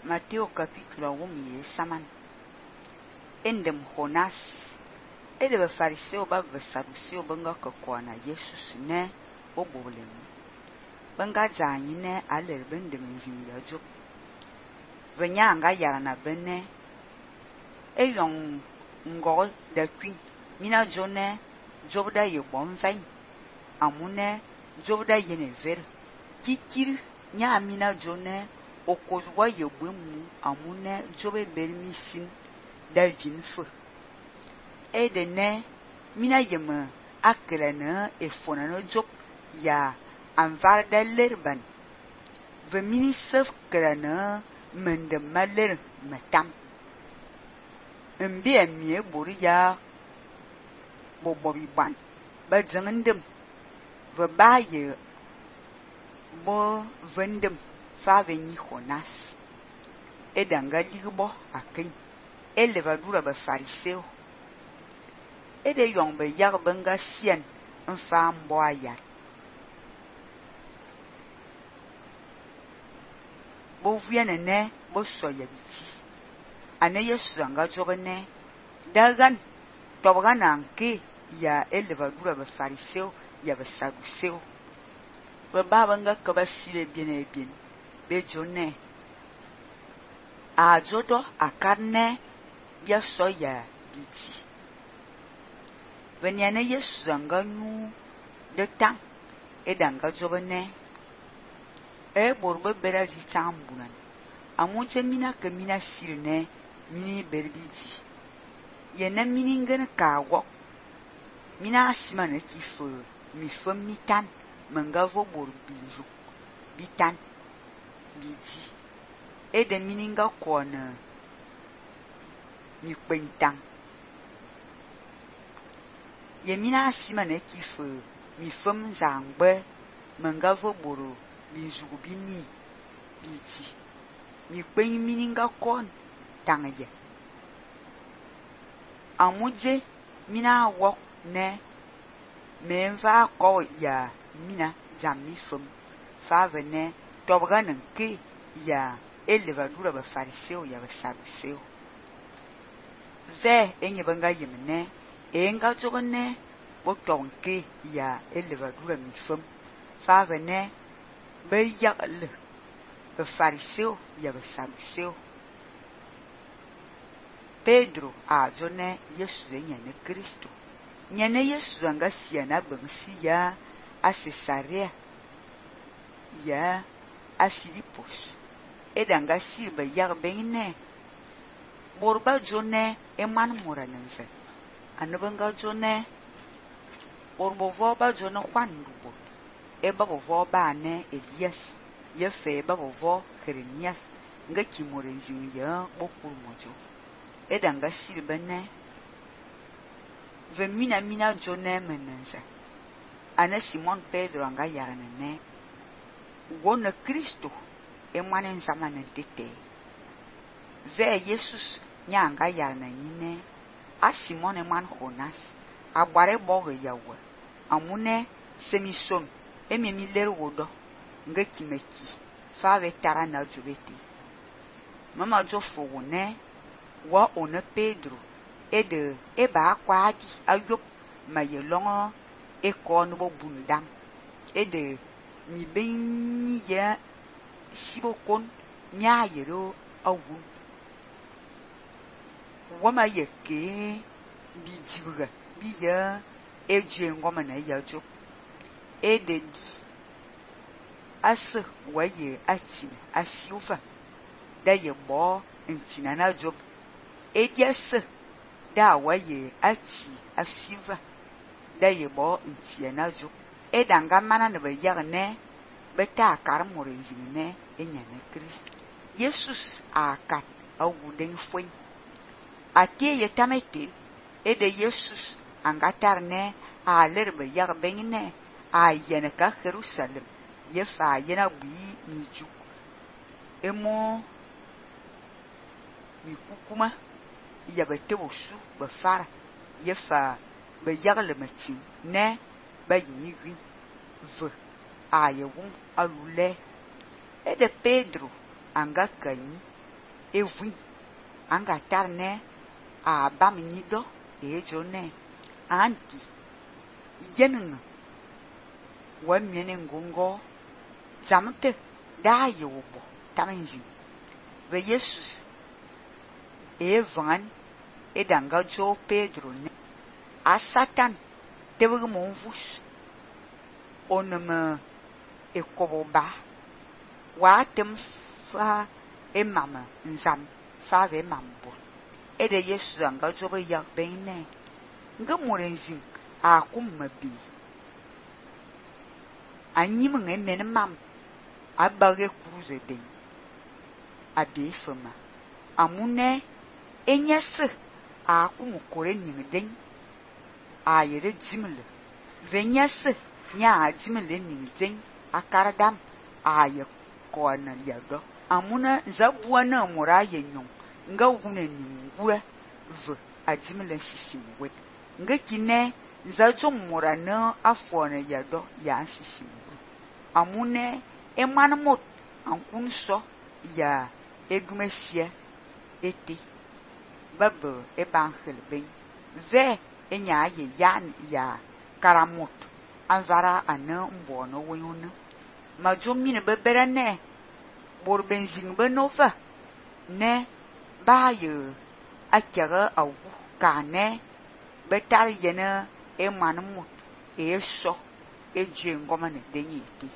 Mateo capítulo 1 saman. Endem Jonas. Ede fariseu ba saduceu banga kokona Jesus ne obolem. Banga zanyi ne aler bendem nzinga jo. Venya anga yana benne. Eyong ngol da kwin. Mina jone jobda ye bonfain. Amune jobda yene ver. Kikir nya mina jone okozwa ye bwemu amune jobe bermisin da vinfo. Ede ne mina yeme akrana efona no job ya anvar da lerban. Ve mini sef krana mende maler matam. Mbi amie bori ya bobobi ban. Ba zangendem. Ve baye bo vendem fa veni Jonas. Edanga ligbo akin. Elevadura ba fariseu. Ede yong be yag benga sien mfa mbo ayar. Bo viene ne bo soya biti. Ane Yesu anga jobene dagan tobagan anke ya elevadura ba fariseu ya ba saduceu. Be babanga kaba sile bien be jone a jodo akarne bia soya biti. Venyane Yesu anga nyu de tang edanga jobene borbe bera di tambunan. Amunche mina ke mina silne mini berbiti. Yene mini ngene kawo. Mina asimane kifo mi fom mitan mengavo bor binju bitan biti. Ede mini nga kona mi kwentang. Ye mina asimane kifo mi fom zangbe mengavo boro binju bini biti. Mi kwen mini nga kon tangye. Amuje mina wok ne menva ko ya mina zammi fom fa vene tobganen ke ya elevadura ba fariseu ya ba saduceu. Ve enye banga yemne enga jogone bo tonke ya elevadura mi fom fa vene be yagle ba fariseu ya ba saduceu. Pedro a jone Yesu nyane Kristo. Nyane Yesu anga siana bangsi ya a Cesarea ya a Filipos. Edanga silba yag bene. Borba jone eman moranense. Anabanga jone borbo voba jone Juan dubo. Eba voba ne Elias. Yefe eba vo Jeremias. Nga kimorenzi ya bokul mojo. Edanga silba ne ve mina jone menense. Ane Simon Pedro anga yaranene. Wona Kristo emanen zamanen tete. Ve Jesus nyanga yaranene. A Simon eman Jonas. Abare boge yawe. Amune semison ememi ler wodo. Nga kimeki. Fa ve tara na jubete. Mama jofo wone. Wa one Pedro. Ede eba kwadi ayop mayelongo eko no bundam. Ede mi ben ya sibokon nya yero awun. Wama yeke bi jibuga bi ya eje ngoma na yajo. Ede di ase waye atin asiufa da ye bo ntina na job. Ede ase da waye ati asiva da ye bo ntia na job. Edanga mana ne be yagne beta karmore zine enyane Kristo. Jesus akat awuden fwen. Ate ye tamete ede Jesus angatarne a lerbe yag bengne a yene ka Jerusalem ye fa yena bi miju. Emo mi kukuma ya bete wosu be fara ye fa be yagle matin ne ba yi wi ve a ye won alule. Ede Pedro anga kanyi evui anga tar ne a bam ni do e jo ne anti yenin wa mene ngongo zamte da yobo tamanji ve Jesus e van e danga jo Pedro ne a Satan tebug mon vus oneme e koboba wa tem fa e mama nzam fa ve mambo e de Jesus anga jo be ya ben ne nga morenzin a kummabi anyi mun emen mam abage cruise den abi fama amune enyese a kumukore ning den a yere jimle venyese nya jimle ning den akaradam a ye kona yado amuna zabua na mura yenyon nga wune ningwe v ajimle sisimwe nga kine zajo mura na afo na yado ya sisimwe amune emanmot ankun so ya edumesia eti babo e bankhel ben ve enya ye yan ya karamot anvara ana mbo no wonyuna majomi ne bebere ne bor benzin benova ne ba ye akere awu ka ne betar yene e manmot e so e je ngoma ne denyi ti